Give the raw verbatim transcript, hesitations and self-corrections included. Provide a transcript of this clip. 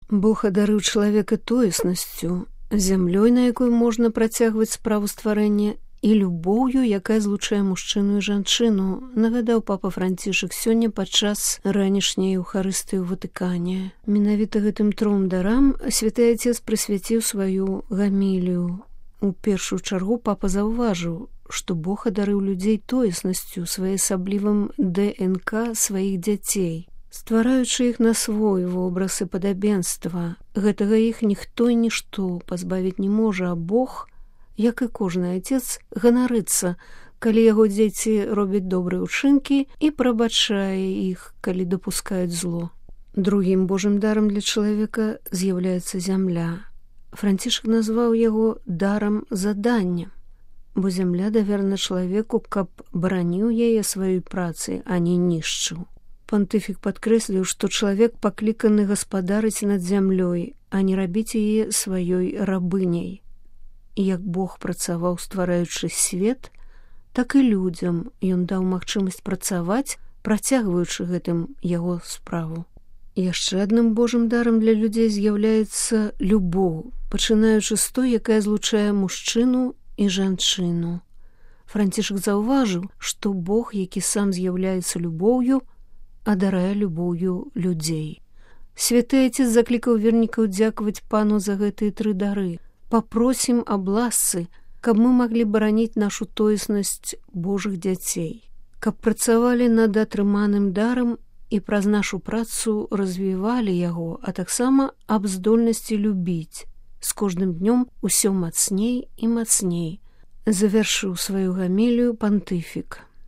Бог адарыў чалавека тоеснасцю, зямлёй, на якой можна працягваць справу стварэння, і любоўю, якая злучае мужчыну і жанчыну, нагадаў папа Францішак сёння падчас ранішняй Еўхарыстыі ў Ватыкане. Менавіта гэтым тром дарам святы Отец прысвяціў сваю гамілію. У першую чаргу папа заўважыў, што Бог адарыў людзей тоеснасцю, своеасаблівым ДНК сваіх дзяцей, ствараючы іх на свой вобраз і падабенства. Гэтага іх ніхто і нішто пазбавіць не можа, а Бог, як і кожны отец, ганарыцца, калі яго дзеці робяць добрыя ўчынкі, і прабачае іх, калі дапускаюць зло. Другім Божым дарам для чалавека з'яўляецца зямля. Францішак назваў яго дарам задання, бо зямля даверана чалавеку, каб бараніў яе сваёй працай, а не нішчыў. Пантыфік падкрэсліў, што чалавек пакліканы гаспадарыць над зямлёй, а не рабіць яе сваёй рабыняй. Як Бог працаваў, ствараючы свет, так і людзям ён даў магчымасць працаваць, працягваючы гэтым яго справу. Яшчэ адным Божым дарам для людзей з'яўляецца любоў, пачынаючы з той, якая злучае мужчыну і жанчыну. Францішак заўважыў, што Бог, які сам з'яўляецца любоўю, адарае любоўю людзей. Святы Отец заклікаў вернікаў дзякаваць Пану за гэтыя тры дары. Папросім аб ласцы, каб мы маглі бараніць нашу тоеснасць Божых дзяцей, каб працавалі над атрыманым дарам і праз нашу працу развівалі яго, а таксама аб здольнасці любіць. З кожным днём усё мацней і мацней, завяршыў сваю гамілію пантыфік.